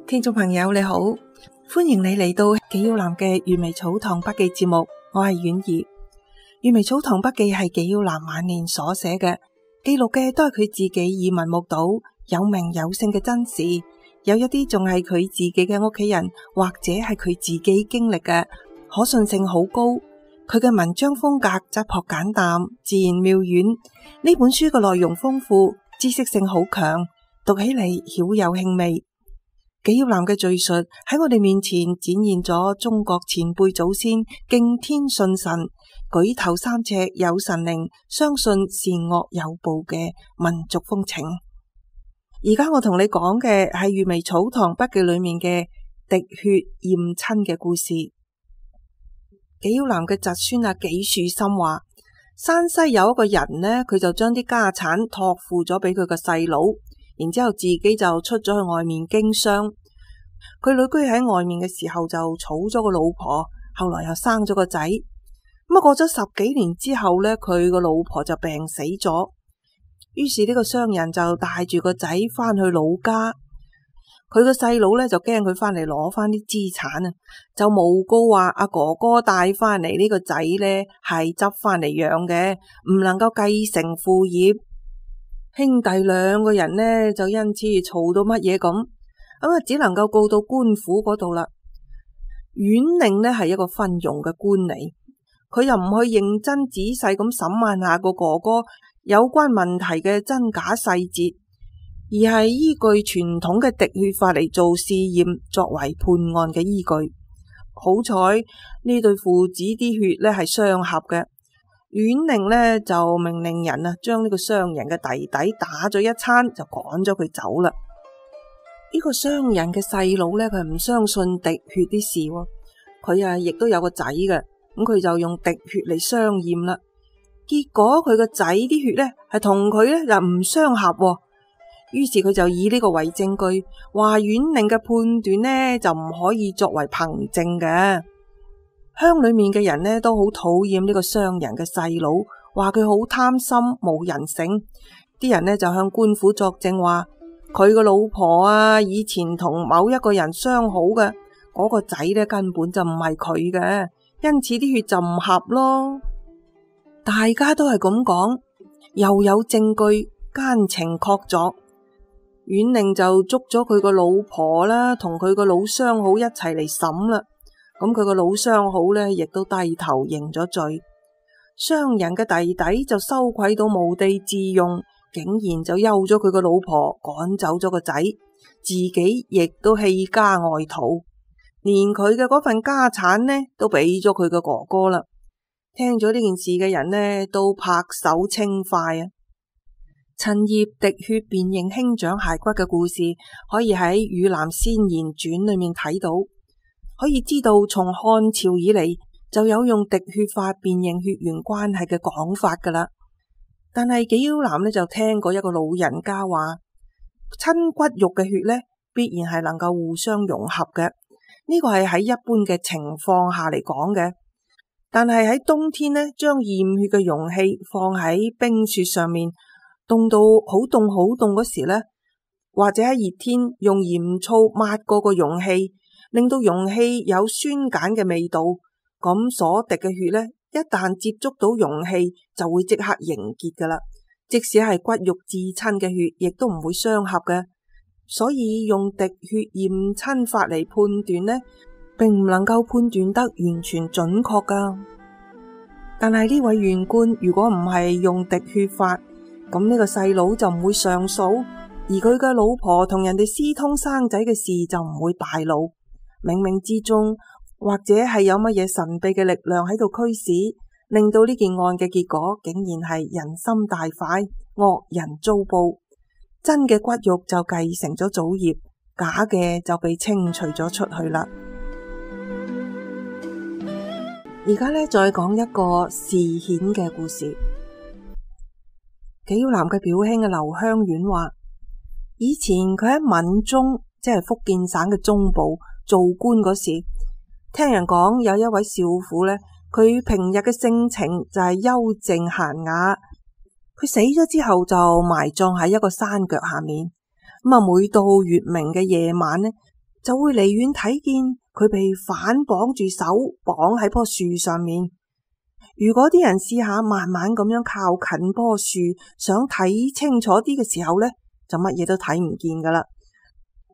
聽眾朋友你好，歡迎你嚟到紀曉嵐嘅閱微草堂筆記節目，我係婉兒。閱微草堂筆記係紀曉嵐晚年所寫嘅，記錄嘅都係佢自己耳聞目睹、有名有姓嘅真事，有一啲仲係佢自己嘅屋企人或者係佢自己經歷嘅，可信性好高。佢嘅文章風格質樸簡淡，自然妙遠。呢本書嘅內容豐富，知識性好強，讀起嚟曉有興味。紀曉嵐嘅敘述喺我哋面前展現咗中國前輩祖先敬天信神、舉頭三尺有神靈、相信善惡有報嘅民族風情。而家我同你講嘅係閱微草堂筆記裏面嘅滴血驗親嘅故事。紀曉嵐嘅侄孫紀樹森話，山西有一個人呢，佢就將啲家產託付咗俾佢個細佬，然之後自己就出咗去外面經商。佢旅居喺外面嘅時候就娶咗個老婆，後來又生咗個仔。咁過咗10幾年之後呢，佢個老婆就病死咗。於是呢個商人就帶住個仔翻去老家。佢個細佬呢就驚佢翻嚟攞翻啲資產啊，就誣告話阿哥哥帶翻嚟呢個仔呢係執翻嚟養嘅，唔能夠繼承父業。兄弟兩個人呢就因此嘈到乜嘢咁，只能夠告到官府嗰度啦。縣令呢係一個昏庸嘅官嚟，佢又唔去認真仔細咁審問下個哥哥有關問題嘅真假細節，而係依據傳統嘅滴血法嚟做試驗，作為判案嘅依據。好彩呢對父子啲血呢係相合嘅，縣令呢就命令人將呢個商人嘅弟弟打咗一餐，就趕咗佢走啦。呢個商人嘅細佬呢，佢唔相信滴血啲事，佢亦都有個仔嘅，咁佢就用滴血嚟相驗啦。結果佢個仔啲血呢係同佢呢就唔相合，於是佢就以呢個為證據，話縣令嘅判斷呢就唔可以作為憑證嘅。鄉裏面嘅人呢都好討厭呢個商人嘅細佬，話佢好貪心冇人性。啲人呢就向官府作證話，佢個老婆以前同某一個人相好嘅，嗰個仔呢根本就唔係佢嘅，因此啲血就唔合咯。大家都係咁講，又有證據，奸情確鑿。縣令就捉咗佢個老婆啦，同佢個老相好一齊嚟審啦。咁佢個老相好呢，亦都低頭認咗罪。商人嘅弟弟就羞愧到無地自容，竟然就休咗佢個老婆，趕走咗個仔，自己亦都棄家外逃，連佢嘅嗰份家產呢都俾咗佢嘅哥哥啦。聽咗呢件事嘅人呢，都拍手稱快啊！陳葉滴血辨認兄長骸骨嘅故事，可以喺《汝南先賢傳》裏面睇到，可以知道從漢朝以嚟就有用滴血法辨認血緣關係嘅講法噶啦。但係紀曉嵐呢就聽過一個老人家話，親骨肉嘅血呢必然係能夠互相融合嘅，呢個係喺一般嘅情況下嚟講嘅。但係喺冬天呢，將驗血嘅容器放喺冰雪上面，凍到好凍好凍嗰時呢，或者喺熱天用鹽醋抹過個容器，令到容器有酸鹼嘅味道，咁所滴嘅血呢，一旦接觸到容器就會即刻凝結噶啦。即使係骨肉至親嘅血，亦都唔會相合嘅。所以用滴血驗親法嚟判斷呢，並唔能夠判斷得完全準確噶。但係呢位縣官如果唔係用滴血法，咁呢個細佬就唔會上訴，而佢嘅老婆同人哋私通生仔嘅事就唔會敗露。冥冥之中，或者係有乜嘢神秘嘅力量喺度驅使，令到呢件案嘅結果竟然係人心大快，惡人遭報。真嘅骨肉就繼承咗祖業，假嘅就被清除咗出去啦。而家呢，再講一個示顯嘅故事。紀曉嵐嘅表兄劉香遠話，以前佢喺閩中，即係福建省嘅中部做官嗰時，聽人講有一位少婦呢，佢平日嘅性情就係幽靜嫻雅，佢死咗之後就埋葬喺一個山腳下面。咁每到月明嘅夜晚呢，就會離遠睇見佢被反綁住手，綁喺棵樹上面。如果啲人試下慢慢咁樣靠近棵樹，想睇清楚啲嘅時候呢，就乜嘢都睇唔見噶啦，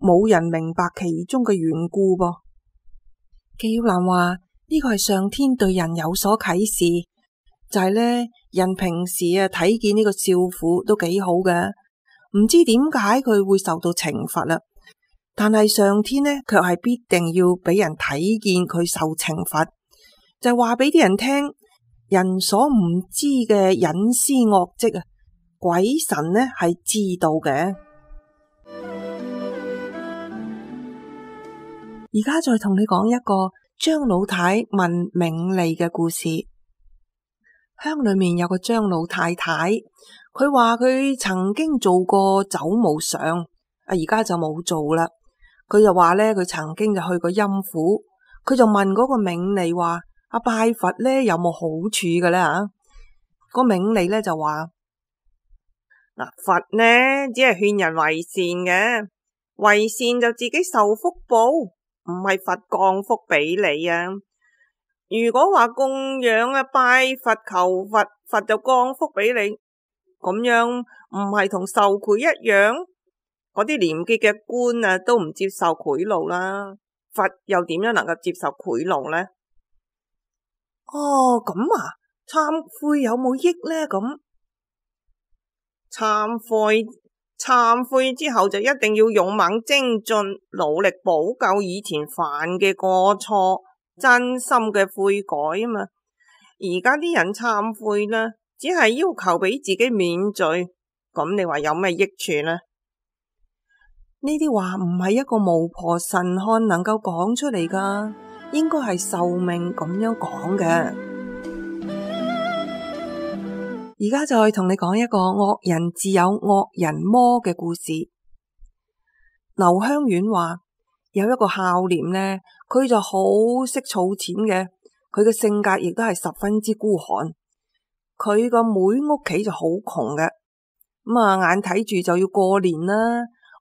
冇人明白其中嘅緣故噃。紀曉嵐話呢個係上天對人有所啟示，就係呢，人平時睇見呢個少婦都幾好嘅，唔知點解佢會受到懲罰啦。但係上天呢，卻係必定要俾人睇見佢受懲罰，就係話俾啲人聽，人所唔知嘅隱私惡跡啊，鬼神呢係知道嘅。而家再同你講一個張老太問冥利嘅故事。鄉裏面有個張老太太，佢話佢曾經做過走巫相，而家就冇做啦。佢就話呢，佢曾經就去過陰府，佢就問嗰個冥利話：拜佛呢有冇好處嘅呢？吓，個冥利呢就話：嗱，佛呢只係勸人為善嘅，為善就自己受福報，唔係佛降福俾你啊。如果話供養拜佛求佛，佛就降福俾你，咁樣唔係同受賄一樣？嗰啲廉潔嘅官都唔接受賄賂啦，佛又點樣能夠接受賄賂呢？哦，咁啊，懺悔有冇益呢？咁懺悔之後就一定要勇猛精進，努力補救以前犯嘅過錯，真心嘅悔改啊嘛。而家啲人懺悔啦，只係要求俾自己免罪，咁你話有咩益處呢？呢啲話唔係一個巫婆神漢能夠講出嚟噶，應該係壽命咁樣講嘅。而家再同你講一個惡人自有惡人磨嘅故事。劉香苑話有一個孝廉呢，佢就好識儲錢嘅，佢嘅性格亦都係十分之孤寒。佢個妹屋企就好窮嘅，咁眼睇住就要過年啦。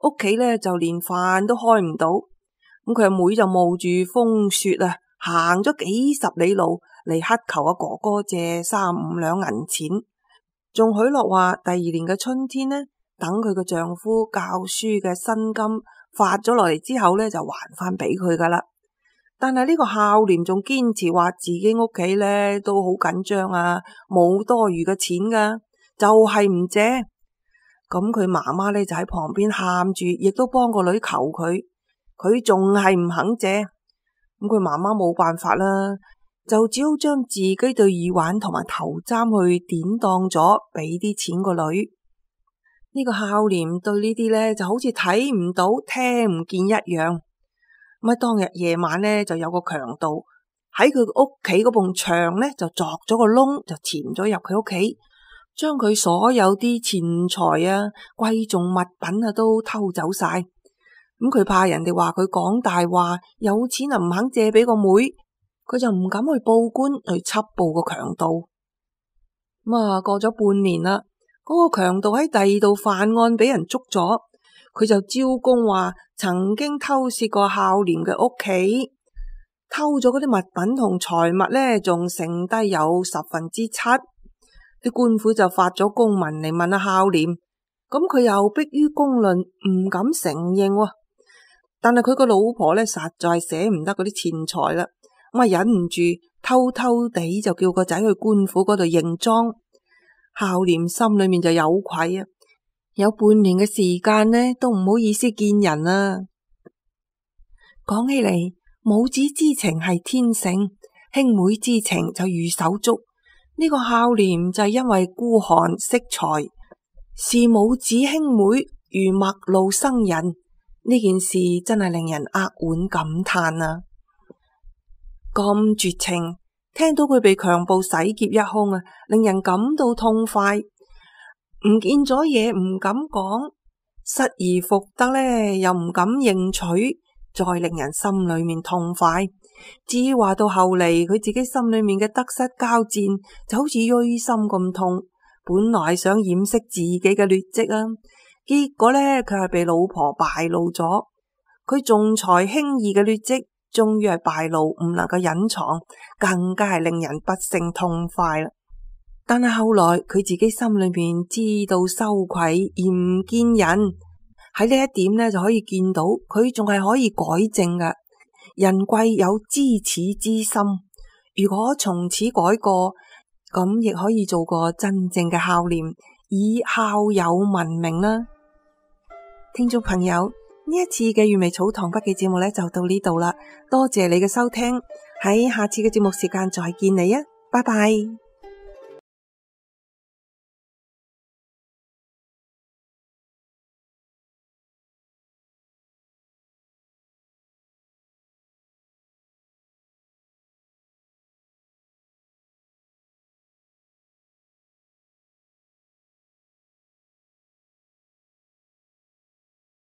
屋企呢就連飯都開唔到，咁佢阿妹就冒住風雪行咗幾十里路嚟乞求阿哥哥借3-5兩銀錢，仲許諾話第2年嘅春天呢，等佢個丈夫教書嘅薪金發咗落嚟之後呢，就還翻俾佢噶啦。但係呢個孝廉仲堅持話自己屋企呢都好緊張冇多餘嘅錢噶，就係唔借。咁佢媽媽呢就喺旁邊喊住，亦都幫個女求佢，佢仲係唔肯借。咁佢媽媽冇辦法啦，就只好將自己對耳環同埋頭簪去典當咗，俾啲錢個女。呢個孝廉對呢啲呢就好似睇唔到聽唔見一樣。咁當日夜晚呢，就有個強盜喺佢屋企嗰埲牆呢就鑿咗個窿，就潛咗入佢屋企，將佢所有啲錢財貴重物品都偷走晒。咁佢怕人哋話佢講大話，有錢唔肯借俾個妹，佢就唔敢去報官去緝捕個強盜。咁過咗半年啦，嗰個強盜喺第2度犯案俾人捉咗，佢就招供話曾經偷竊過孝廉嘅屋企，偷咗嗰啲物品同財物呢，仲剩低有7/10。啲官府就發咗公文嚟問孝廉，咁佢又迫於公論唔敢承認。但係佢個老婆呢，實在捨唔得嗰啲錢財啦，咁忍唔住偷偷地就叫個仔去官府嗰度認贓。孝廉心裏面就有愧有半年嘅時間呢，都唔好意思見人啊。講起嚟，母子之情係天性，兄妹之情就如手足。呢個孝廉就係因為孤寒惜財，視母子兄妹如陌路生人，呢件事真係令人扼腕感嘆啊！咁絕情，聽到佢被強暴洗劫一空令人感到痛快。唔見咗嘢唔敢講，失而復得呢又唔敢認取，再令人心裏面痛快。至於話到後嚟，佢自己心裏面嘅得失交戰就好似錐心咁痛，本來想掩飾自己嘅劣跡結果呢，佢係被老婆敗露咗。佢仲裁輕易嘅劣跡終於係敗露，唔能夠隱藏，更加係令人不勝痛快啦。但係後來佢自己心裏面知道羞愧而唔見人，喺呢一點呢，就可以見到佢仲係可以改正㗎。人貴有知恥之心，如果從此改過，咁亦可以做個真正嘅孝廉，以孝友聞名啦。聽眾朋友，呢一次嘅粵味草堂筆記節目呢，就到呢度啦，多謝你嘅收聽，喺下次嘅節目時間再見你啊，拜拜。